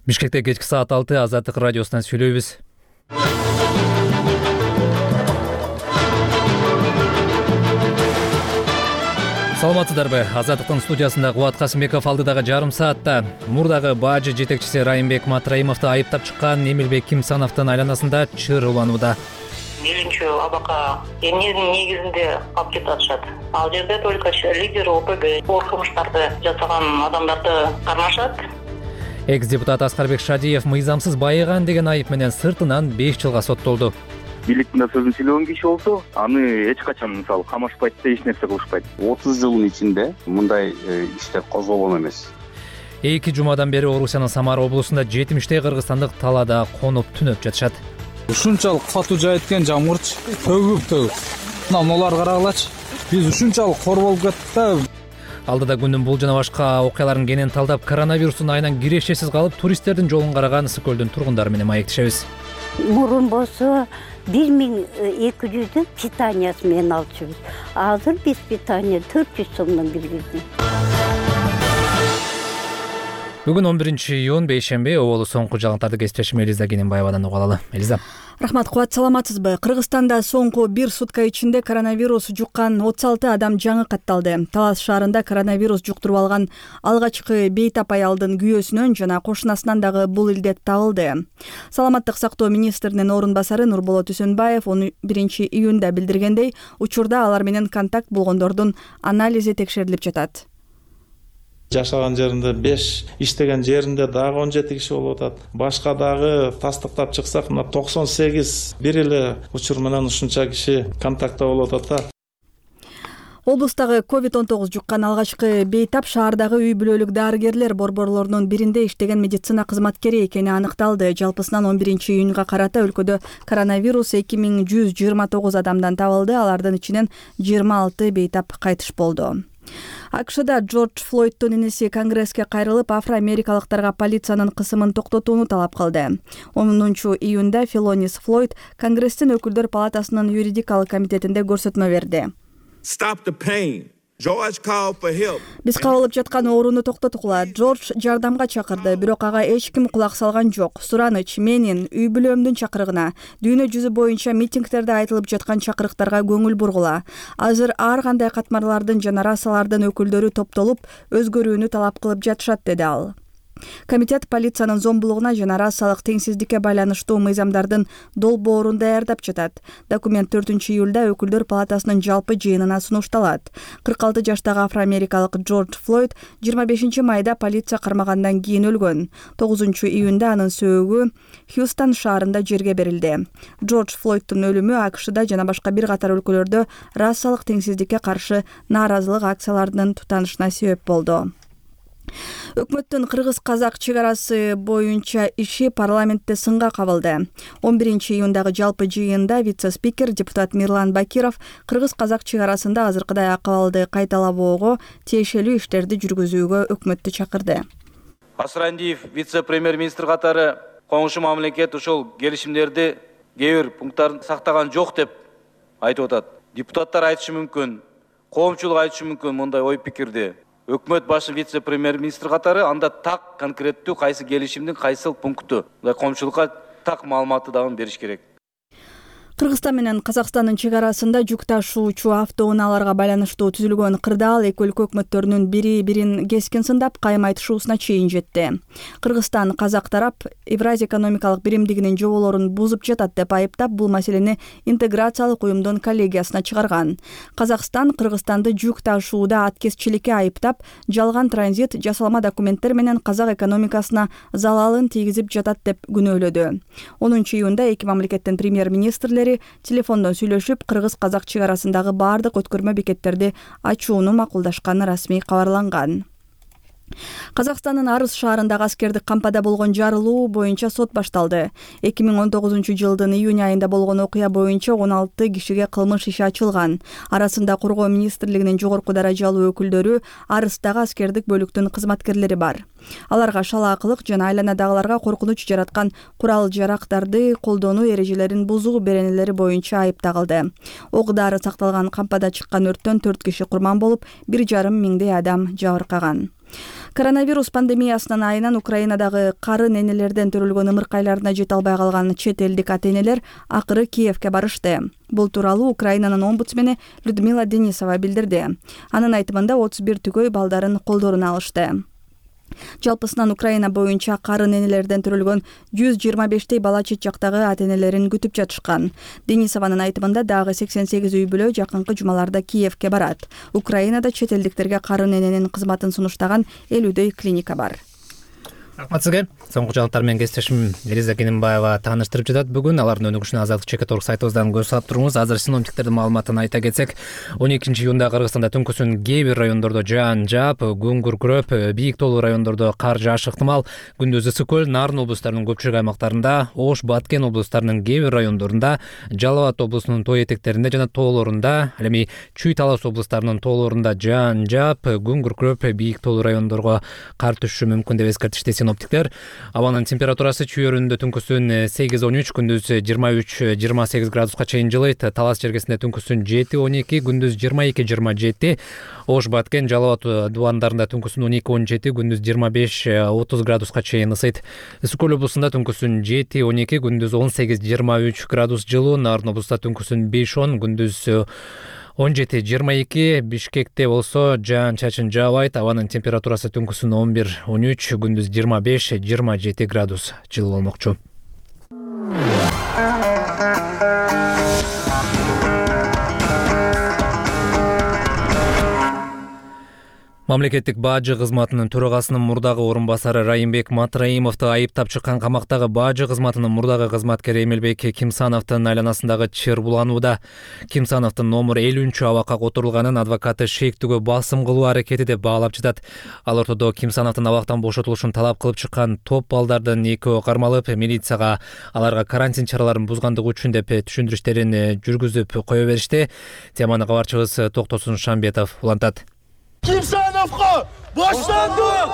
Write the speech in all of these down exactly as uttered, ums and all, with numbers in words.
Бишкекте кечки саат алты Азаттык радиосунан сүйлөйбүз. Саламатсыздарбы? Азаттыктын студиясында Кубат Касымбеков алдыдагы жарым саатта мурдагы бажы жетекчиси Райымбек Матраимовду айыптап чыккан Эмилбек Кимсановдун айланасында чыр уланууда. Мейлинчи абакка эмненин негизинде алып кетип атышат. Ал жерде только лидер ОПГ оор кылмыштарды жасаган адамдарды кармашат. Экс-депутат Аскарбек Шадиев мыйзамсыз байыган деген айып менен сыртынан беш жылга соттолду. Бийликтин сөзүн сүйлөгөн киши болсо, аны эч качан мисалы камашпайт да, эч нерсе кылышпайт. отуз жылдын ичинде мындай иштер козголгон эмес. Эки жумадан бери Орусиянын Самара облусунда жетимиштей кыргызстандык талаада конуп түнөп жатышат. Ушунчалык катуу жаайткен жамгырчы төгүп төгүп. Мына мулар карагылачы. Биз ушунчалык кор болуп кеттик да. Алдыда күндүн бул жана башка окуяларын кенен талдап, коронавирустун айынан кирешесиз калып, туристтердин жолун караган Ысык көлдүн тургундары менен маектешебиз. Мурун болсо бир миң эки жүздүн питаниясы менен алчубуз. Азыр биз питания төрт жүз сомдон киргиздик. Бүгүн он биринчи июнь бейшемби, оболу соңку жагымтарды кесиптешим Элиза Кененбаевадан угуп алалы. Элиза. Рахмат, Кубат, саламатсызбы? Кыргызстанда соңку бир сутка ичинде коронавирус жуккан отуз алты адам жаңы катталды. Талас шаарында коронавирус жуктуруп алган алгачкы бейтап аялдын күйөөсүнөн жана кошунасынан дагы бул илдет табылды. Саламаттык сактоо министринин орун басары Нурболот Үсөнбаев он биринчи июнда билдиргендей, учурда алар менен контакт болгондордун анализи текшерилип жатат. Жашаган жеринде беш, иштеген жеринде дагы он жети киши болуп атат. Башка дагы тастыктап чыксак, мына токсон сегиз бир эле учур менен ушунча киши контактта болуп атат да. Облустагы ковид он тогуз жуккан алгачкы бейтап шаардагы үй бүлөлүк дарыгерлер борборлорунун биринде иштеген медицина кызматкери экени аныкталды. Жалпысынан он биринчи июнга карата өлкөдө коронавирус эки миң жүз жыйырма тогуз адамдан табылды. Алардын ичинен жыйырма алты бейтап кайтыш болду. АКШда Джордж Флойдтун иниси Конгресске кайрылып, афро-америкалыктарга полициянын кысымын токтотууну талап кылды. онунчу июнда Филонис Флойд Конгресстин өкүлдөр палатасынын юридикалык комитетинде көрсөтмө берди. Биз кабылып жаткан ооруну токтоткула. Джордж жардамга чакырды, бирок ага эч ким кулак салган жок. Сураныч менин үй бүлөмдүн чакырыгына, дүйнө жүзү боюнча митингдерде айтылып жаткан чакырыктарга көңүл бургула. Азыр ар кандай катмарлардын жана расалардын өкүлдөрү топтолуп, өзгөрүүнү талап кылып жатышат, деди ал. Комитет полициянын зомбулугуна жана расалык теңсиздикке байланыштуу мыйзамдардын долбоорун даярдап жатат. Документ төртүнчү июлда өкүлдөр палатасынын жалпы жыйынына сунушталат. кырк алты жаштагы афро-америкалык Джордж Флойд жыйырма бешинчи майда полиция кармагандан кийин өлгөн. тогузунчу июнда анын сөөгү Хьюстон шаарында жерге берилди. Джордж Флойдтун өлүмү АКШда жана башка бир катар өлкөлөрдө расалык теңсиздикке каршы нааразылык акцияларынын тутанышына себеп болду. Өкмөттүн кыргыз-казак чек арасы боюнча иши парламентте сынга кабылды. он биринчи июндагы жалпы жыйында вице-спикер депутат Мирлан Бакиров кыргыз-казак чек арасында азыркыдай акыбалды кайталабоого, тиешелүү иштерди жүргүзүүгө өкмөттү чакырды. Асрандиев вице-премьер-министр катары коңшу мамлекет ушул келишимдерди кээ бир пункттарын сактаган жок деп айтып атат. Депутаттар айтышы мүмкүн, коомчулук айтышы мүмкүн мындай ой пикирди. Өкмөт башы вице-премьер-министр катары анда так конкреттүү кайсы келишимдин кайсыл пункту, коомчулукка так маалыматты дагы бериш керек. Кыргызстан менен Казакстандын чек арасында жүк ташуучу автоунааларга байланыштуу түзүлгөн кырдаал эки өлкө өкмөттөрүнүн бири-бирин кескин сындап, кайым айтышуусуна чейин жетти. Кыргызстан казак тарап Евразия экономикалык биримдигинин жоболорун бузуп жатат деп айыптап, бул маселени интеграциялык уюмдун коллегиясына чыгарган. Казакстан Кыргызстанды жүк ташууда аткезчиликке айыптап, жалган транзит, жасалма документтер менен казак экономикасына залалын тийгизип жатат деп күнөөлөдү. онунчу июнда эки мамлекеттин премьер-министрлери телефондон сүйлөшүп, кыргыз-казак чек арасындагы бардык өткөрмө бекеттерди ачууну макулдашканы расмий кабарланган. Казакстандын Арыс шаарындагы аскердик кампада болгон жарылуу боюнча сот башталды. эки миң он тогузунчу жылдын июнь айында болгон окуя боюнча он алты кишиге кылмыш иши ачылган. Арасында Коргоо министрлигинин жогорку даражалуу өкүлдөрү, Арыстагы аскердик бөлүктүн кызматкерлери бар. Аларга шалаакылык жана айланадагыларга коркунуч жараткан курал-жарактарды колдонуу эрежелерин бузуу беренелери боюнча айып тагылды. Ок дары сакталган кампада чыккан өрттөн төрт киши курман болуп, бир жарым миңдей адам жабыркаган. Коронавирус пандемиясынын айынан Украинадагы карын энелерден төрөлгөн ымыркайларына жете албай калган чет элдик ата-энелер акыры Киевке барышты. Бул тууралуу Украинанын омбудсмени Людмила Денисова билдирди. Анын айтымында отуз бир түгөй балдарын колдоруна алышты. Жалпысынан Украина боюнча карын энелерден төрөлгөн жүз жыйырма бештей бала чет жактагы ата-энелерин күтүп жатышкан. Денисованын айтымында дагы сексен сегиз үй бүлө жакынкы жумаларда Киевке барат. Украинада чет элдиктерге карын эненин кызматын сунуштаган элүүдөй клиника бар. Рахмат сизге. Соңку жаңылыктар менен кесиптешим Элиза Кененбаева тааныштырып жатат. Бүгүн алардын өнүгүшүнө азаттык чекит орг сайтыбыздан көз салып туруңуз. Азыр синоптиктердин маалыматын айта кетсек, он экинчи июнда Кыргызстанда түнкүсүн кээ бир райондордо жаан жаап, күн күркүрөп, бийик тоолуу райондордо кар жаашы ыктымал. Күндүз ысык көл, Нарын облустарынын көпчүлүк аймактарында, Ош, Баткен облустарынын кээ бир райондорунда, Жалал Абад облусунун тоо этектеринде жана тоолорунда, ал эми Чүй Талас облустарынын тоолорунда жаан жаап, күн күркүрөп, бийик тоолуу райондорго кар түшүшү мүмкүн деп эскертишти синоптиктер. Абанын температурасы Чүй өрүндө түнкүсүн сегиз он үч, күндүз жыйырма үч жыйырма сегиз градуска чейин жылыйт. Талас жергесинде түнкүсүн жети он эки, күндүз жыйырма эки жыйырма жети. Ош, Баткен, Жалал Абад дубандарында түнкүсүн он эки он жети, күндүз жыйырма беш отуз градуска чейин ысыйт. Ысык көл облусунда түнкүсүн жети он эки, күндүз он сегиз жыйырма үч градус жылуу. Нарын облусунда түнкүсүн беш он, күндүз он жети жыйырма эки. Бишкекте болсо жаан чачын жаабайт. Абанын температурасы түнкүсүн он бир он үч, күндүз жыйырма беш жыйырма жети градус жылуу болмокчу. Мамлекеттик бажы кызматынын төрагасынын мурдагы орун басары Райымбек Матраимовду айыптап чыккан камактагы бажы кызматынын мурдагы кызматкери Эмилбек Кимсановдун айланасындагы чыр буланууда. Кимсановдун номер элүүнчү абакка которулганын адвокаты шектүүгө басым кылуу аракети деп баалап жатат. Ал ортодо Кимсановдун абактан бошотулушун талап кылып чыккан топ балдардын экөө кармалып, милицияга аларга карантин чараларын бузгандыгы үчүн деп түшүндүрүштөрүн жүргүзүп кое беришти. Теманы кабарчыбыз Токтосун Шамбетов улантат. Кимсановго боштондук!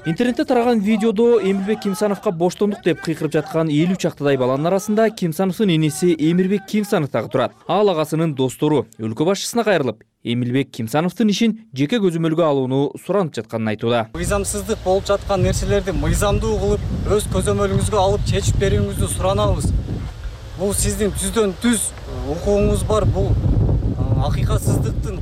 Интернетте тараган видеодо Эмилбек Кимсановго боштондук деп кыйкырып жаткан элүү чактадай баланын арасында Кимсановдун энеси Эмирбек Кимсанов дагы турат. Ал агасынын достору өлкө башчысына кайрылып, Эмилбек Кимсановдун ишин жеке көзөмөлгө алууну суранып жатканын айтууда. Мыйзамсыздык болуп жаткан нерселерди мыйзамдуу кылып, өз көзөмөлүңүзгө алып чечип берүүңүздү суранабыз. Бул сиздин түздөн түз укугуңуз бар, бул акыйкатсыздыктын.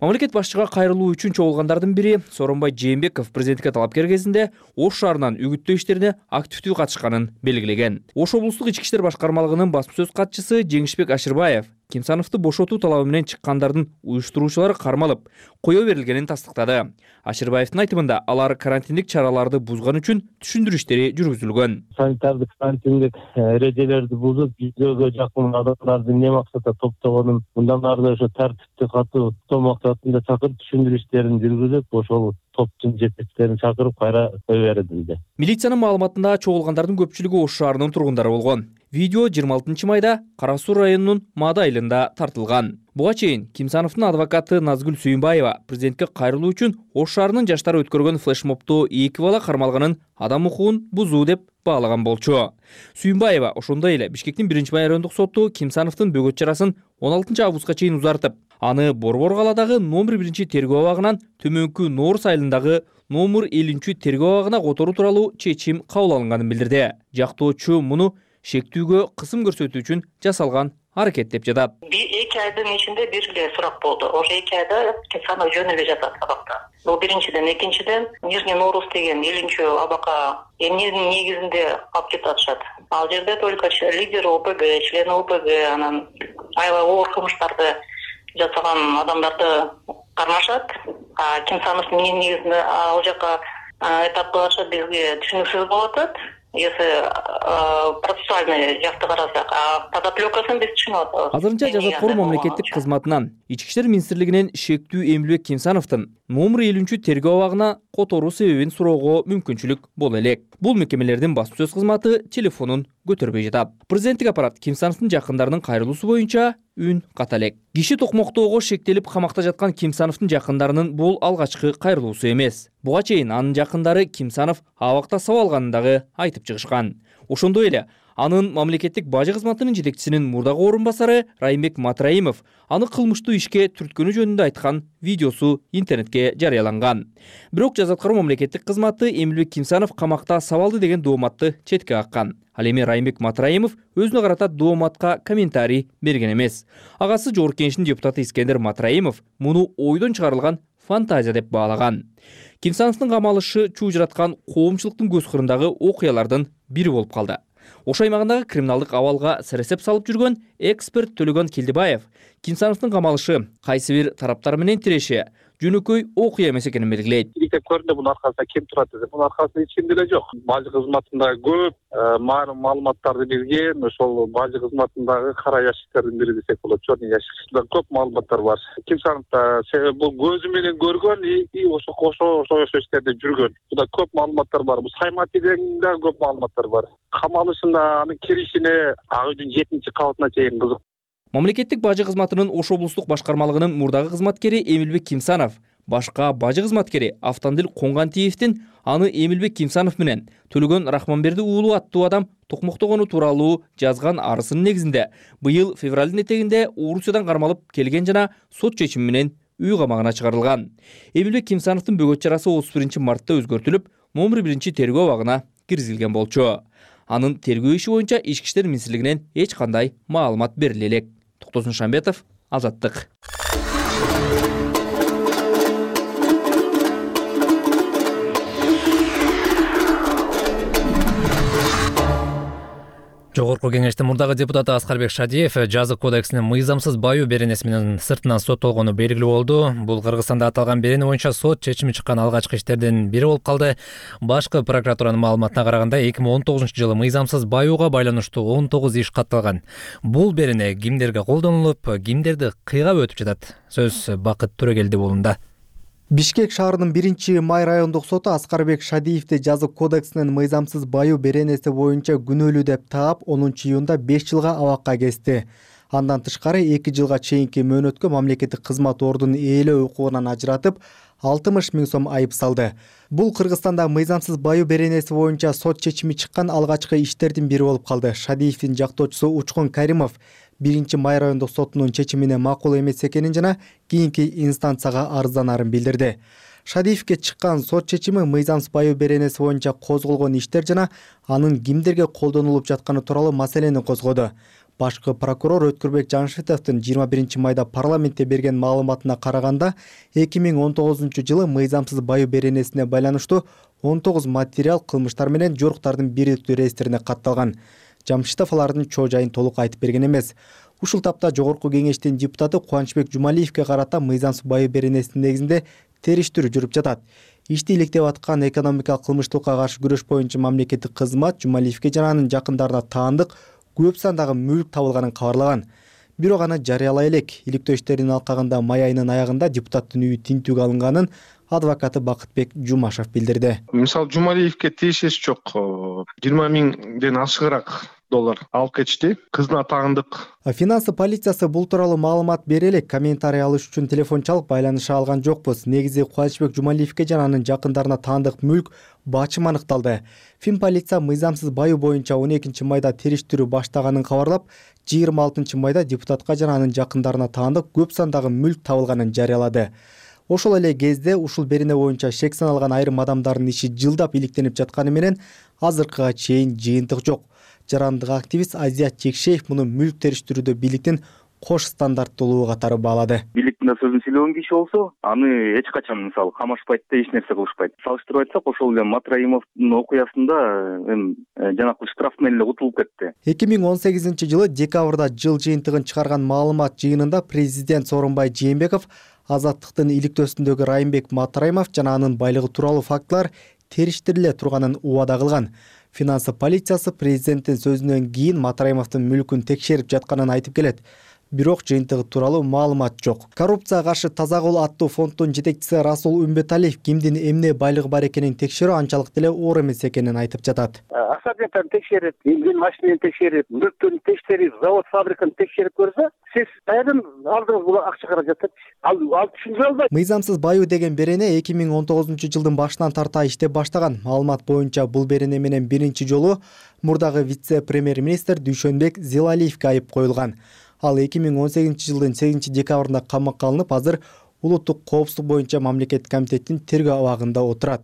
Мамлекет башчыга кайрылуу үчүн чогулгандардын бири Сооронбай Жээнбеков президентке талапкер кезинде Ош шаарынан үгүттөө иштерине активдүү катышканын белгилеген. Ош облустук ички иштер башкармалыгынын басма сөз катчысы Жеңишбек Ашырбаев Кимсановду бошотуу талабы менен чыккандардын уюштуруучулары кармалып, кое берилгенин тастыктады. Ашырбаевдин айтымында алар карантиндик чараларды бузган үчүн түшүндүрүү иштери жүргүзүлгөн. Санитардык карантиндик эрежелерди бузуп, жүзгө жакын адамдарды эмне максатта топтогонун, мындан ары ошо тартипти катуу топтоо максатында чакырып түшүндүрүү иштерин жүргүзүп, ошол топтун жетекчилерин чакырып кайра кое берилди. Милициянын маалыматында чогулгандардын көпчүлүгү Ош шаарынын тургундары болгон. Видео жыйырма алтынчы майда Кара Суу районунун Мада айылында тартылган. Буга чейин Кимсановдун адвокаты Назгүл Сүйүнбаева президентке кайрылуу үчүн Ош шаарынын жаштары өткөргөн флешмобдо эки бала кармалганын адам укугун бузуу деп баалаган болчу. Сүйүнбаева ошондой эле Бишкектин биринчи райондук соту Кимсановдун бөгөт чарасын он алтынчы августка чейин узартып, аны Борбор каладагы номер биринчи тергөө абагынан төмөнкү Норус айылындагы номер элүүнчү тергөө абагына которуу тууралуу чечим кабыл алынганын билдирди. Жактоочу муну шектүүгө кысым көрсөтүү үчүн жасалган аракет деп жатат. эки айдын ичинде бир эле сурак болду. Ошо эки айда Кимсанов жөн эле жатат абакта. Бул биринчиден, экинчиден Нижний Норус деген элүүнчү абакка эмненин негизинде алып кетип атышат. Ал жерде только лидер ОПГ, член ОПГ, анан аябай оор кылмыштарды жасаган адамдарды кармашат. А Кимсанов эмненин негизинде ал жака этап кылышат, бизге түшүнүксүз болуп атат. Если процессуальный жакты карасак, а подоплекасын биз түшүнүп атабыз. Азырынча жазаткор мамлекеттик кызматынан Ички иштер министрлигинен шектүү Эмилбек Кимсановдун номер элүүнчү тергөө абагына которуу себебин суроого мүмкүнчүлүк боло элек. Бул мекемелердин басма сөз кызматы телефонун көтөрбөй жатат. Президенттик аппарат Кимсановдун жакындарынын кайрылуусу боюнча үн ката элек. Киши токмоктоого шектелип камакта жаткан Кимсановдун жакындарынын бул алгачкы кайрылуусу эмес. Буга чейин анын жакындары Кимсанов абакта сабалганын дагы айтып чыгышкан. Ошондой эле Анын мамлекеттик бажы кызматынын жетекчисинин мурдагы орун басары Райымбек Матраимов аны кылмыштуу ишке түрткөнү жөнүндө айткан видеосу интернетке жарыяланган. Бирок жаза аткаруу мамлекеттик кызматы Эмилбек Кимсанов камакта сабалды деген дооматты четке каккан. Ал эми Райымбек Матраимов өзүнө карата дооматка комментарий берген эмес. Агасы Жогорку Кеңештин депутаты Искендер Матраимов муну ойдон чыгарылган фантазия деп баалаган. Кимсановдун камалышы чуу жараткан коомчулуктун көз кырындагы окуялардын бири болуп калды. Ош аймагындагы криминалдык абалга сересеп салып жүргөн эксперт Төлөгөн Келдибаев Кимсановдун камалышы кайсы бир тараптар менен тиреши жөнөкөй окуя эмес экенин белгилейт. Иликтеп көрдү, бунун аркасында ким турат десе, бунун аркасында эч ким деле жок. Бажы кызматында көп маалыматтарды билген, ошол бажы кызматындагы кара ящиктердин бири десек болот. Чорный ящиктер көп маалыматтар бар. Кимсановда себеби бул көзү менен көргөн и ошо ошо ошо иштерде жүргөн. Буда көп маалыматтар бар. Бул Сайматиден да көп маалыматтар бар. Камалышында анын киришине ак үйдүн жетинчи кабатына чейин кызык. Мамлекеттик бажы кызматынын Ош облустук башкармалыгынын мурдагы кызматкери Эмилбек Кимсанов башка бажы кызматкери Автандил Коңгантиевдин аны Эмилбек Кимсанов менен Төлөгөн Рахманберди уулу аттуу адам токмоктогону тууралуу жазган арызынын негизинде быйыл февралдын этегинде Орусиядан кармалып келген жана сот чечими менен үй камагына чыгарылган. Эмилбек Кимсановдун бөгөт чарасы отуз биринчи мартта өзгөртүлүп, номер биринчи тергөө абагына киргизилген болчу. Анын тергөө иши боюнча Ички иштер министрлигинен эч кандай маалымат бериле элек. Токтосун Шамбетов, Азаттык. Жогорку Кеңештин мурдагы депутаты Аскарбек Шадиев жазык кодексинин мыйзамсыз баю беренеси менен сыртынан соттолгону белгилүү болду. Бул Кыргызстанда аталган берене боюнча сот чечими чыккан алгачкы иштердин бири болуп калды. Башкы прокуратуранын маалыматына караганда эки миң он тогузунчу жылы мыйзамсыз баюуга байланыштуу он тогуз иш катталган. Бул берене кимдерге колдонулуп, кимдерди кыйгап өтүп жатат? Сөз Бакыт Төрөгелди болунда. Бишкек шаарынын биринчи май райондук соту Аскарбек Шадиевди жазык кодексинин мыйзамсыз баю беренеси боюнча күнөөлүү деп таап, онунчу июнда беш жылга абакка кести. Андан тышкары эки жылга чейинки мөөнөткө мамлекеттик кызмат ордунун ээлөө укугунан ажыратып, алтымыш миң сом айып салды. Бул Кыргызстанда мыйзамсыз баю беренеси боюнча сот чечими чыккан алгачкы иштердин бири болуп калды. Шадиевдин жактоочусу Учкун Каримов биринчи май райондук сотунун чечимине макул эмес экенин жана кийинки инстанцияга арызданарын билдирди. Шадиевге чыккан сот чечими мыйзамсыз баю беренеси боюнча козголгон иштер жана анын кимдерге колдонулуп жатканы тууралуу маселени козгоду. Башкы прокурор Өткүрбек Жаңшитовдун жыйырма биринчи майда парламентте берген маалыматына караганда, эки миң он тогузунчу жылы мыйзамсыз баю беренесине байланыштуу он тогуз материал кылмыштар менен жоруктардын бирдиктүү реестрине катталган. Жамшитов алардын чоо жайын толук айтып берген эмес. Ушул тапта Жогорку Кеңештин депутаты Кубанычбек Жумалиевге карата мыйзамсыз баю беренесинин негизинде териштирүү жүрүп жатат. Ишти иликтеп аткан экономикалык кылмыштыкка каршы күрөш боюнча мамлекеттик кызмат Жумалиевге жана анын жакындарына таандык көп сандагы мүлк табылганын кабарлаган. Бирок аны жарыялай элек. Иликтөө иштеринин алкагында май айынын аягында депутаттын үйү тинтүүгө алынганын адвокаты Бакытбек Жумашев билдирди. Мисалы Жумалиевге тиешеси жок. жыйырма миңден ашыгыраак доллар алып кетишти. Кызына таандык. Финансы полициясы бул тууралуу маалымат бере элек. Комментарий алыш үчүн телефон чалып байланыша алган жокпуз. Негизи Кубанычбек Жумалиевге жана анын жакындарына таандык мүлк бачым аныкталды. Фин полиция мыйзамсыз баю боюнча он экинчи майда териштирүү баштаганын кабарлап, жыйырма алтынчы майда депутатка жана анын жакындарына таандык көп сандагы мүлк табылганын жарыялады. Ошол эле кезде ушул берене боюнча шек саналган айрым адамдардын иши жылдап иликтенип жатканы менен азыркыга чейин жыйынтык жок. Жарандык активист Азият Чекшеев муну мүлк териштирүүдө бийликтин кош стандарттуулугу катары баалады. Бийликтин сөзүн сүйлөгөн киши болсо, аны эч качан мисалы камашпайт да эч нерсе кылышпайт. Салыштырып айтсак, ошол эле Матраимовдун окуясында эми жанагы штраф менен эле утулуп кетти. эки миң он сегизинчи жылы декабрда жыл жыйынтыгын чыгарган маалымат жыйынында президент Сооронбай Жээнбеков Азаттыктын иликтөөсүндөгү Райымбек Матраимов жана анын байлыгы тууралуу фактылар териштириле турганын убада кылган. Финансы полициясы президенттин сөзүнөн кийин Матраимовдун мүлкүн текшерип жатканын айтып келет. бирок жыйынтыгы тууралуу маалымат жок. Коррупцияга каршы таза кол аттуу фонддун жетекчиси Расул Үмбеталиев кимдин эмне байлыгы бар экенин текшерүү анчалык деле оор эмес экенин айтып жатат. Особенно текшерип, эмген машинени текшерип, мүлктүн текшерип, завод фабриканы текшерип көрсө, сиз кайдан алдыңыз бул акча каражатты? Ал ал түшүндүрө албайт. Мыйзамсыз баюу деген берене эки миң он тогузунчу жылдын башынан тарта иштеп баштаган. Маалымат боюнча бул берене менен биринчи жолу мурдагы вице-премьер-министр Дүйшөнбек Зилалиевге айып коюлган. Ал эки миң он сегизинчи жылдын сегизинчи декабрында камакка алынып, азыр улуттук коопсуздук боюнча мамлекеттик комитеттин тергөө абагында отурат.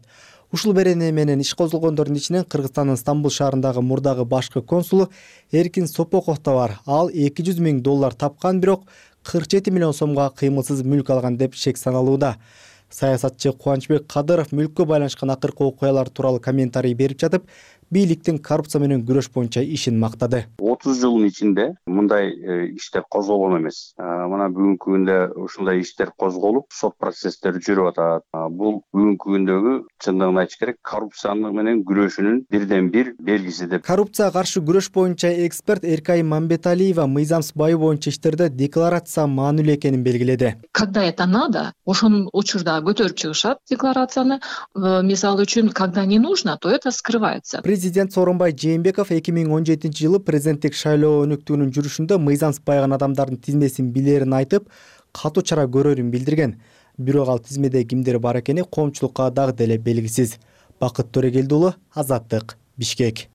Ушул берене менен иш козголгондордун ичинен Кыргызстандын Стамбул шаарындагы мурдагы башкы консулу Эркин Сопоков да бар. Ал эки жүз миң доллар тапкан, бирок кырк жети миллион сомго кыймылсыз мүлк алган деп шек саналууда. Саясатчы Кубанычбек Кадыров мүлккө байланышкан акыркы окуялар тууралуу комментарий берип жатып, бийликтин коррупция менен күрөш боюнча ишин мактады. отуз жылдын ичинде мындай иштер козголгон эмес. Мына бүгүнкү күндө ушундай иштер козголуп, сот процесстери жүрүп атат. Бул бүгүнкү күндөгү чындыгын айтыш керек, коррупцияны менен күрөшүүнүн бирден бир белгиси деп. Коррупцияга каршы күрөш боюнча эксперт Эркай Мамбеталиева мыйзамсыз баюу боюнча иштерде декларация маанилүү экенин белгиледи. Когда это надо, ошонун учурда көтөрүп чыгышат декларацияны. Мисалы үчүн, когда не нужно, то это скрывается. Президент Сооронбай Жээнбеков эки миң он жетинчи жылы президенттик шайлоо өнүктүүнүн жүрүшүндө мыйзамсыз байган адамдардын тизмесин билерин айтып, катуу чара көрөрүн билдирген. Бирок ал тизмеде кимдер бар экени коомчулукка дагы деле белгисиз. Бакыт Төрегелди уулу, Азаттык, Бишкек.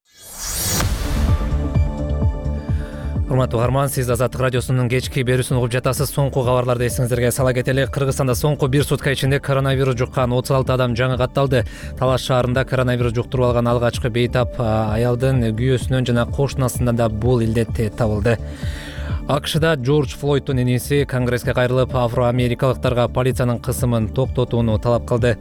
Урматтуу угарман, сиз Азаттык радиосунун кечки берүүсүн угуп жатасыз. Соңку кабарларды эсиңиздерге сала кетели. Кыргызстанда соңку бир сутка ичинде коронавирус жуккан отуз алты адам жаңы катталды. Талаш шаарында коронавирус жуктуруп алган алгачкы бейтап аялдын күйөөсүнөн жана кошунасынан да бул илдет табылды. АКШда Джордж Флойдтун энеси Конгресске кайрылып, афро-америкалыктарга полициянын кысымын токтотууну талап кылды.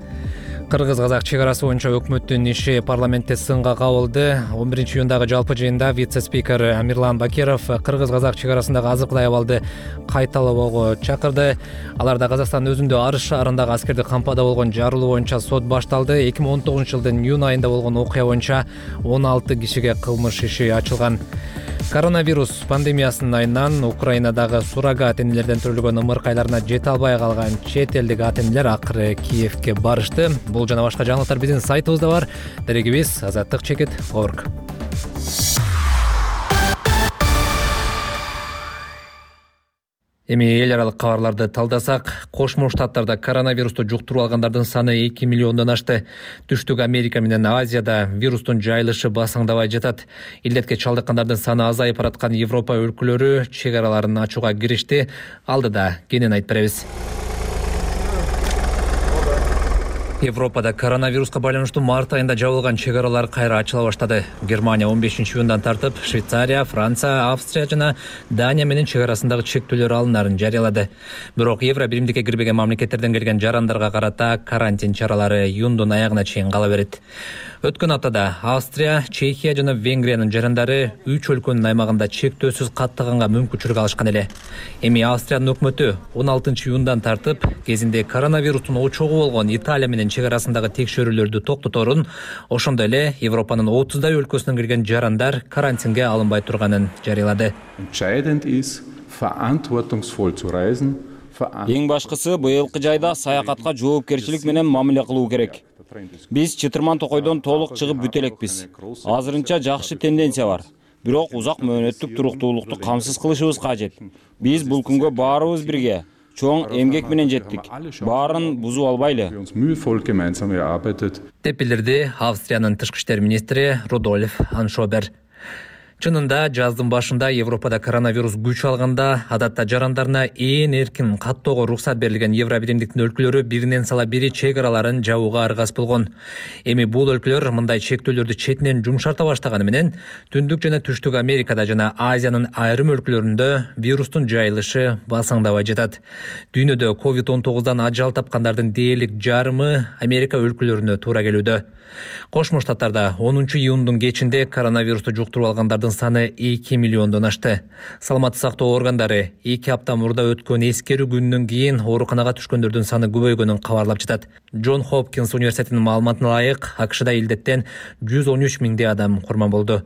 Кыргыз-казак чек арасы боюнча өкмөттүн иши парламентте сынга кабылды. он биринчи июндагы жалпы жыйында вице-спикер Амирлан Бакиров кыргыз-казак чек арасындагы азыркылай абалды кайталоого чакырды. Аларда Казакстандын өзүндө Арыс шаарындагы аскерди кампада болгон жарылуу боюнча сот башталды. эки миң он тогузунчу жылдын июнь айында болгон окуя боюнча он алты кишиге кылмыш иши ачылган. Коронавирус пандемиясынын айынан Украинадагы суррогат энелерден төрөлгөн ымыркайларына жете албай калган чет элдик ата энелер акыры Киевке барышты. Бул жана башка жаңылыктар биздин сайтыбызда бар. Дерегибиз азаттык чекит точка орг. Эми эл аралык кабарларды талдасак, Кошмо Штаттарда коронавирусту жуктуруп алгандардын саны эки миллиондон ашты. Түштүк Америка менен Азияда вирустун жайылышы басаңдабай жатат. Илдетке чалдыккандардын саны азайып бараткан Европа өлкөлөрү чек араларын ачууга киришти. Алдыда кенен айтып беребиз. Европада коронавируска байланыштуу март айында жабылган чек аралар кайра ачыла баштады. Германия он бешинчи июндан тартып, Швейцария, Франция, Австрия жана Дания менен чек арасындагы чектөөлөр алынаарын жарыялады. Бирок Евро биримдикке кирбеген мамлекеттерден келген жарандарга карата карантин чаралары июндун аягына чейин кала берет. Өткөн аптада Австрия, Чехия жана Венгриянын жарандары үч өлкөнүн аймагында чектөөсүз каттаганга мүмкүнчүлүк алышкан эле. Эми Австриянын өкмөтү он алтынчы июндан тартып, кезинде коронавирустун очогу болгон Италия менен чек арасындагы текшерүүлөрдү токтоторун, ошондой эле Европанын отуздай өлкөсүнөн келген жарандар карантинге алынбай турганын жарыялады. Эң башкысы быйылкы жайда саякатка жоопкерчилик менен мамиле кылуу керек. Биз чытырман токойдон толук чыгып бүтө элекпиз. Азырынча жакшы тенденция бар. Бирок узак мөөнөттүк туруктуулукту камсыз кылышыбыз кажет. Биз бул күнгө баарыбыз бирге чоң эмгек менен жеттик. Баарын бузуп албайлы. Деп билдирди Австриянын тышкы иштер министри Рудольф Аншобер. Чынында жаздын башында Европада коронавирус күч алганда адатта жарандарына ээн эркин каттоого уруксат берилген Евро биримдиктин өлкөлөрү биринен сала бири чек араларын жабууга аргас болгон. Эми бул өлкөлөр мындай чектөөлөрдү четинен жумшарта баштаганы менен Түндүк жана Түштүк Америкада жана Азиянын айрым өлкөлөрүндө вирустун жайылышы басаңдабай жатат. Дүйнөдө ковид он тогуздан ажал тапкандардын дээрлик жарымы Америка өлкөлөрүнө туура келүүдө. Кошмо Штаттарда онунчу июндун кечинде коронавирусту жуктуруп алгандардын саны эки миллиондон ашты. Саламаттык сактоо органдары эки апта мурда өткөн эскерүү күнүнөн кийин ооруканага түшкөндөрдүн саны көбөйгөнүн кабарлап жатат. Джон Хопкинс университетинин маалыматына ылайык, АКШда илдеттен жүз он үч миңдей адам курман болду.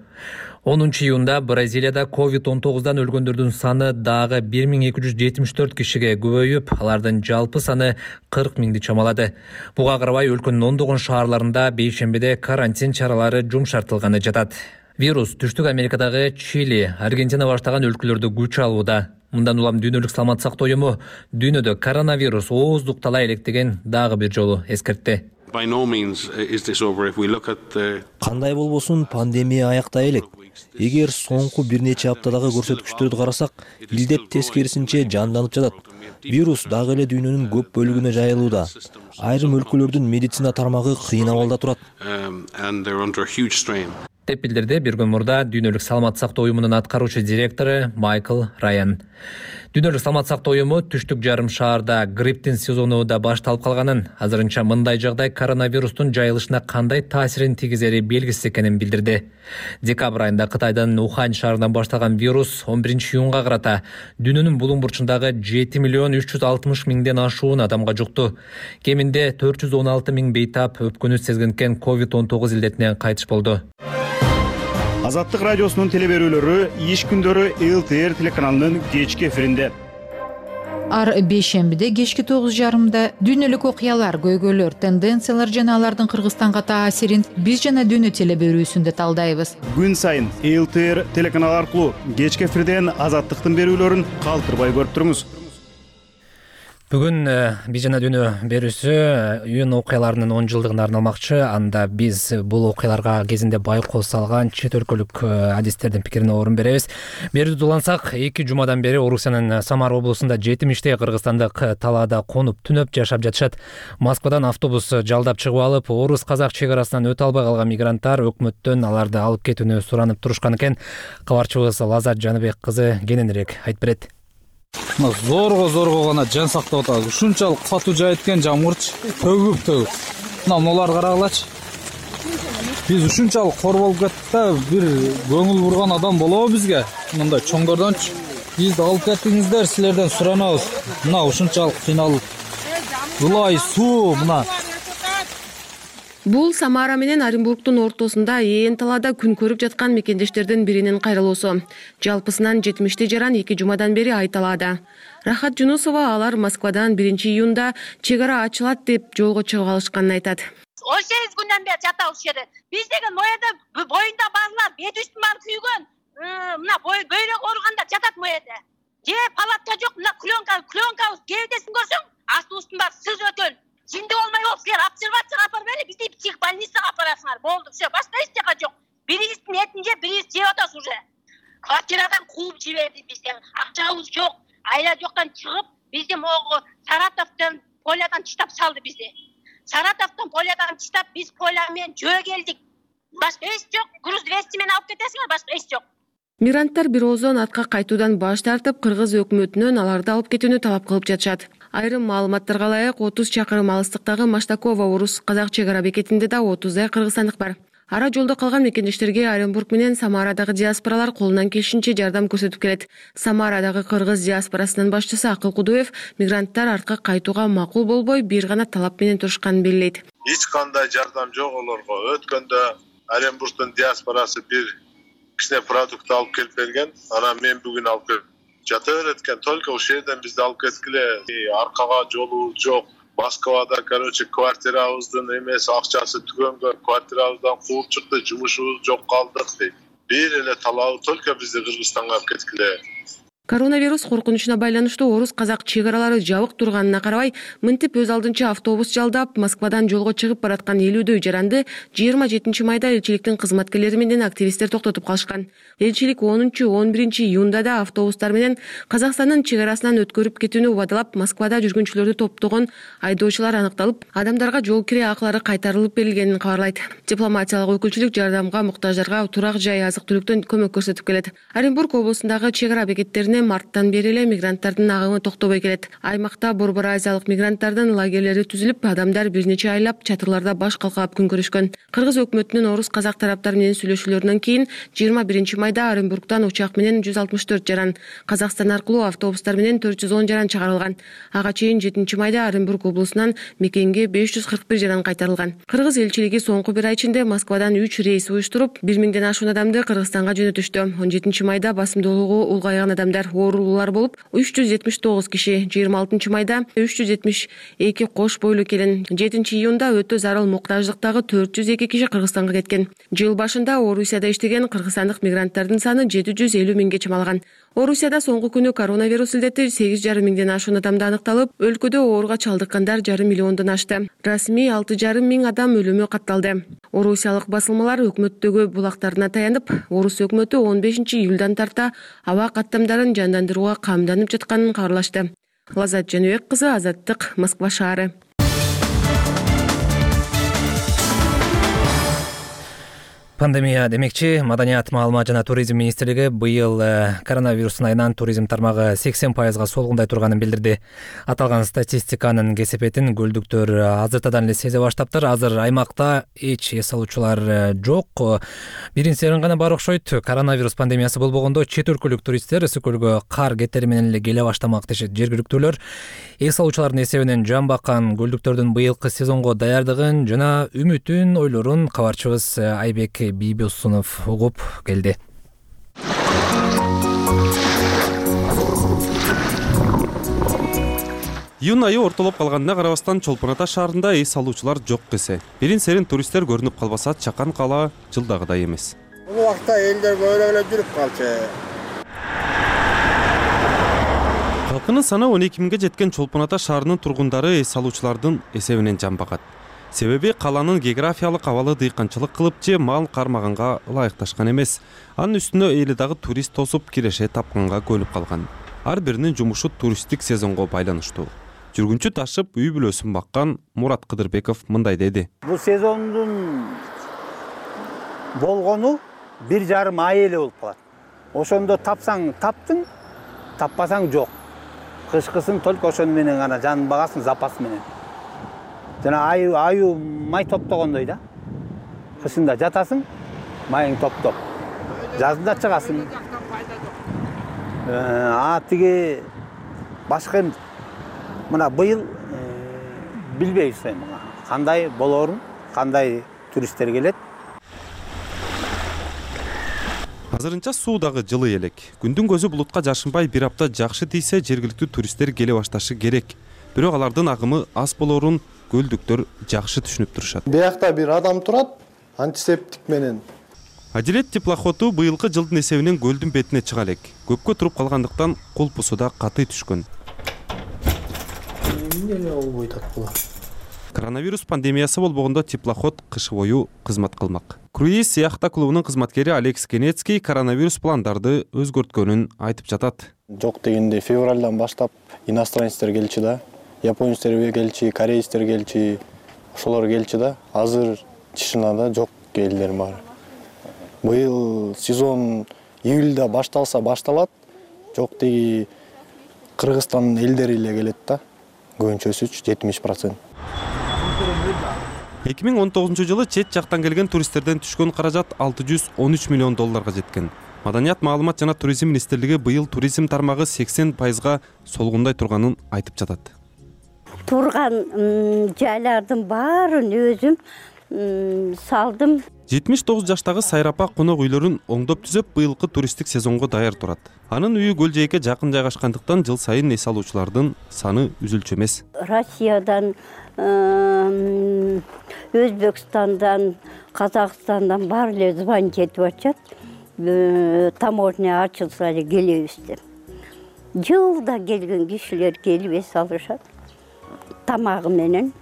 онунчу июнда Бразилияда ковид он тогуздан өлгөндөрдүн саны дагы бир миң эки жүз жетимиш төрт кишиге көбөйүп, алардын жалпы саны кырк миңди чамалады. Буга карабай өлкөнүн ондогон шаарларында бейшембиде карантин чаралары жумшартылганы жатат. Вирус Түштүк Америкадагы Чили, Аргентина баштаган өлкөлөрдө күч алууда. Мындан улам Дүйнөлүк саламаттык сактоо уюму дүйнөдө коронавирус ооздуктала элек деген дагы бир жолу эскертти. Кандай болбосун, пандемия аяктай элек. Эгер соңку бир нече аптадагы көрсөткүчтөрдү карасак, илдеп тескерисинче жанданып жатат. Вирус дагы эле дүйнөнүн көп бөлүгүнө жайылууда. Айрым өлкөлөрдүн медицина тармагы кыйын абалда турат. деп билдирди бир күн мурда Дүйнөлүк саламаттык сактоо уюмунун аткаруучу директору Майкл Райан. Дүйнөлүк саламаттык сактоо уюму түштүк жарым шаарда грипптин сезону да башталып калганын, азырынча мындай жагдай коронавирустун жайылышына кандай таасирин тийгизери белгисиз экенин билдирди. Декабрь айында Кытайдын Ухань шаарынан башталган вирус он биринчи июнга карата дүйнөнүн булуң бурчундагы жети миллион үч жүз алтымыш миңден ашуун адамга жукту. Кеминде төрт жүз он алты миң бейтап өпкөнү сезгенкен ковид он тогуз илдетинен кайтыш болду. Азаттык радиосунун телеберүүлөрү иш күндөрү эл ти эр телеканалынын кечки эфиринде. Ар бейшембиде кечки тогуз жарымда дүйнөлүк окуялар, көйгөйлөр, тенденциялар жана алардын Кыргызстанга таасирин биз жана дүйнө телеберүүсүндө талдайбыз. Күн сайын эл ти эр телеканалы аркылуу кечки эфирден Азаттыктын берүүлөрүн калтырбай көрүп туруңуз. Бүгүн биз жана дүйнө берүүсү июнь окуяларынын он жылдыгына арналмакчы. Анда биз бул окуяларга кезинде байкоо салган чет өлкөлүк адистердин пикирине орун беребиз. Берүүбүздү улансак, эки жумадан бери Орусиянын Самара облусунда жетимиштей кыргызстандык талаада конуп түнөп жашап жатышат. Москвадан автобус жалдап чыгып алып, орус-казак чек арасынан өтө албай калган мигранттар өкмөттөн аларды алып кетүүнү суранып турушкан экен. Кабарчыбыз Лазат Жаныбек кызы кененирээк айтып берет. Зорго зорго гана жан сактап атат. Ушунчалык катуу жаайткен жамгырчы төгүп төгүп. Мына муларды карагылачы. Биз ушунчалык корболуп кеттик да, бир көңүл бурган адам болобу бизге? Мындай чоңдордончу. Бизди алып кеттиңиздер, силерден суранабыз. Мына ушунчалык кыйналып. Ылай суу мына. Бул Самара менен Оренбургдун ортосунда ээн талаада күн көрүп жаткан мекендештердин биринин кайрылуусу. Жалпысынан жетимиштей жаран эки жумадан бери айталаада. Рахат Жунусова алар Москвадан биринчи июнда чек ара ачылат деп жолго чыгып алышканын айтат. он сегиз күндөн бери жатабыз ушул жерде. Биз деген моеде боюнда барлар, бет үстүн баары күйгөн, мына бөйрөк ооругандар жатат моеде. Же палатка жок, мына клёнка, клёнкабыз кебдесин көрсөң, асты устун баары сыз өтөн. Жинди болмой болуп, силер обсервацияга апарып бери, бизди психбольницага апарасыңар. Болду, все, башка эч жака жок. Бирибиздин этин жеп, бирибиз жеп атабыз уже. Квартирадан кууп жиберди бизди. Акчабыз жок, айла жоктан чыгып, бизди могу Саратовдон, Полядан чыштап салды бизди. Саратовдон, Полядан чыштап, биз Поля менен жөө келдик. Башка эч жок, груз двести менен алып кетесиңер, башка эч жок. Мигранттар бир оозон артка кайтуудан баш тартып, кыргыз өкмөтүнөн аларды алып кетүүнү талап кылып жатышат. Айрым маалыматтарга ылайык отуз чакырым алыстыктагы Маштакова орус-казак чек ара бекетинде да отуздай кыргызстандык бар. Ара жолдо калган мекендештерге Оренбург менен Самарадагы диаспоралар колунан келишинче жардам көрсөтүп келет. Самарадагы кыргыз диаспорасынын башчысы Акыл Кудуев мигранттар артка кайтууга макул болбой, бир гана талап менен турушканын белгилейт. Эч кандай жардам жок олорго. Өткөндө Оренбургдун диаспорасы бир кичине продукт алып келип берген. Анан мен бүгүн алып келип жата береткен, только ушул жерден бизди алып кеткиле. Аркага жолу жок. Москвада, короче, квартирабыздын эмеси акчасы түгөнгөн, квартирабыздан кууп чыкты, жумушубуз жок калдык дейт. Бир эле талабы только бизди Кыргызстанга алып кеткиле. Коронавирус коркунучуна байланыштуу орус-казак чек аралары жабык турганына карабай, мынтип өз алдынча автобус жалдап, Москвадан жолго чыгып бараткан элүүдөй жаранды жыйырма жетинчи майда элчиликтин кызматкерлери менен активисттер токтотуп калышкан. Элчилик онунчу он биринчи июнда да автобустар менен Казакстандын чек арасынан өткөрүп кетүүнү убадалап, Москвада жүргүнчүлөрдү топтогон айдоочулар анықталып, адамдарга жол кире акылары кайтарылып берилгенин кабарлайт. Дипломатиялык өкүлчүлүк жардамга муктаждарга турак жай азык-түлүктөн көмөк көрсөтүп келет. Оренбург облусундагы чек ара бекеттерине эми марттан бери эле мигранттардын агымы токтобой келет. Аймакта Борбор Азиялык мигранттардын лагерлери түзүлүп, адамдар бир нече айлап чатырларда баш калкалап күн көрүшкөн. Кыргыз өкмөтүнүн орус казак тараптары менен сүйлөшүүлөрүнөн кийин жыйырма биринчи майда Оренбургтан учак менен жүз алтымыш төрт жаран, Казакстан аркылуу автобустар менен төрт жүз он жаран чыгарылган. Ага чейин жетинчи майда Оренбург облусунан мекенге беш жүз кырк бир жаран кайтарылган. Кыргыз элчилиги соңку бир ай ичинде Москвадан үч рейс уюштуруп, бир миңден ашуун адамды Кыргызстанга жөнөтүштү. он жетинчи майда басымдуулугу улгайган адамдар оорулуулар болуп, үч жүз жетимиш тогуз киши, жыйырма алтынчы майда үч жүз жетимиш эки кош бойлуу келин, жетинчи июнда өтө зарыл муктаждыктагы төрт жүз эки киши Кыргызстанга кеткен. Жыл башында Орусияда иштеген кыргызстандык мигранттардын саны жети жүз элүү миңге чамалган. Орусияда соңку күнү коронавирус илдети сегиз жарым миңден ашуун адамда аныкталып, өлкөдө ооруга чалдыккандар жарым миллиондон ашты. Расмий алты жарым миң адам өлүмү катталды. Орусиялык басылмалар өкмөттөгү булактарына таянып, орус өкмөтү он бешинчи июлдан тарта аба каттамдарын жандандырууга камданып жатканын кабарлашты. Лазат Жаныбек кызы, Азаттык, Москва шаары. Пандемия демекчи, Маданият, маалымат жана туризм министрлиги быйыл коронавирустун айынан туризм тармагы сексен пайызга солгундай турганын билдирди. Аталган статистиканын кесепетин көлдүктөр азыртадан эле сезе баштаптыр. Азыр аймакта эч эс алуучулар жок. Биринчисерин гана бар окшойт. Коронавирус пандемиясы болбогондо чет өлкөлүк туристтер ысык көлгө кар кетери менен эле келе баштамак дешет жергиликтүүлөр. Эс алуучулардын эсебинен жан баккан көлдүктөрдүн быйылкы сезонго даярдыгын жана үмүтүн, ойлорун кабарчыбыз Айбек Бибосунов угуп келди. Июнь айы ортолоп калганына карабастан Чолпон Ата шаарында эс алуучулар жок десе. Бирин серин туристтер көрүнүп калбаса, чакан кала жылдагыдай эмес. Бул убакта элдер көбүрөөк эле жүрүп калчу. Халкынын саны он эки миңге жеткен Чолпон Ата шаарынын тургундары эс алуучулардын эсебинен жан багат. Себеби каланын географиялык абалы дыйканчылык кылып же мал кармаганга ылайыкташкан эмес. Анын үстүнө эли дагы турист тосуп киреше тапканга көнүп калган. Ар биринин жумушу туристтик сезонго байланыштуу. Жүргүнчү ташып үй бүлөсүн баккан Мурат Кыдырбеков мындай деди. Бул сезондун болгону бир жарым ай эле болуп калат. Ошондо тапсаң таптың, таппасаң жок. Кышкысын только ошону менен гана жан багасың запас менен. Жана аю аю май топтогондой да. Кышында жатасың, майың топтоп. Жазында чыгасың. А тиги башка мына быйыл билбейбиз эми кандай болорун, кандай туристтер келет. Азырынча суу дагы жылы элек. Күндүн көзү булутка жашынбай бир апта жакшы тийсе, жергиликтүү туристтер келе башташы керек. Бирок алардын агымы аз болорун көлдүктөр жакшы түшүнүп турушат. Биякта бир адам турат, антисептик менен. Адилет теплоходу быйылкы жылдын эсебинен көлдүн бетине чыга элек. Көпкө туруп калгандыктан кулпусу да катый түшкөн. Эмне эле болбойт булар. Коронавирус пандемиясы болбогондо теплоход кыш бою кызмат кылмак. Круиз яхта клубунун кызматкери Алекс Кенецкий коронавирус пландарды өзгөрткөнүн айтып жатат. Жок дегенде февралдан баштап иностранецтер келчү да. Японецтер келчи, корейцтер келчи, ошолор келчи да. Азыр Чишинада жок элдер бар. Быйыл сезон июльда башталса башталат. Жок деги Кыргызстандын элдери эле келет да. Көбүнчөсү жетимиш процент. эки миң он тогузунчу жылы чет жактан келген туристтерден түшкөн каражат алты жүз он үч миллион долларга жеткен. Маданият, маалымат жана туризм министрлиги быйыл туризм тармагы сексен пайызга солгундай турганын айтып жатат. Турган жайлардын баарын өзүм салдым. жетимиш тогуз жаштагы Сайрапа конок үйлөрүн оңдоп түзөп, быйылкы туристтик сезонго даяр турат. Анын үйү көл жээкке жакын жайгашкандыктан жыл сайын эс алуучулардын саны үзүлчү эмес. Россиядан, Өзбекстандан, Казакстандан баары эле звонить этип атышат. Таможня ачылса эле келебиз деп. Жылда келген кишилер келип эс алышат. Тамагы менен.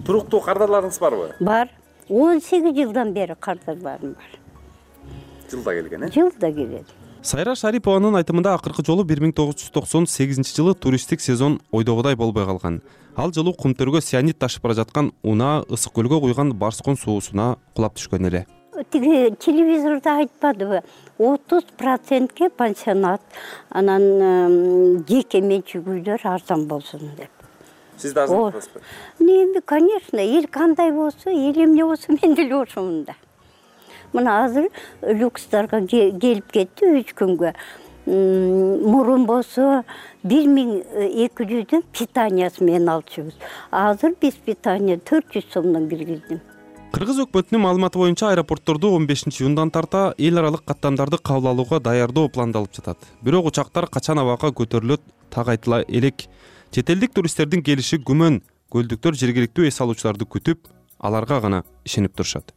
Туруктуу кардарларыңыз барбы? Бар. он сегиз жылдан бери кардарларым бар. Жылда келген, э? Жылда келет. Сайра Шарипованын айтымында акыркы жолу бир миң тогуз жүз токсон сегизинчи жылы туристтик сезон ойдогудай болбой калган. Ал жылы кумтөргө цианид ташып бара жаткан унаа ысык көлгө куйган Барскон суусуна кулап түшкөн эле. тиги телевизордо айтпадыбы, отуз процентке пансионат, анан жеке менчик үйлөр арзан болсун деп. Сиз да арзан кыласызбы? Эми, конечно, эл кандай болсо, эл эмне болсо мен деле ошомун да. Мына азыр люкстарга келип кетти үч күнгө. Мурун болсо бир миң эки жүздөн питаниясы менен алчубуз. Азыр биз питания төрт жүз сомдон киргиздим. Кыргыз өкмөтүнүн маалыматы боюнча аэропортторду он бешинчи июндан тарта эл аралык каттамдарды кабыл алууга даярдоо пландалып жатат. Бирок учактар качан абакка көтөрүлөт так айтыла элек. Чет элдик туристтердин келиши күмөн. Көлдүктөр жергиликтүү эс алуучуларды күтүп, аларга гана ишенип турушат.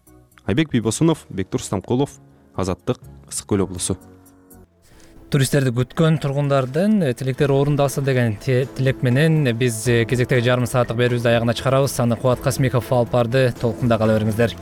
Айбек Бийбосунов, Бектур Стамкулов, Азаттык, Ысык Көл облусу. Туристтерди күткөн тургундардын тилектери орундалса деген тилек менен биз кезектеги жарым сааттык берүүбүздү аягына чыгарабыз. Аны Кубат Касмиков алып барды. Толкунда кала бериңиздер.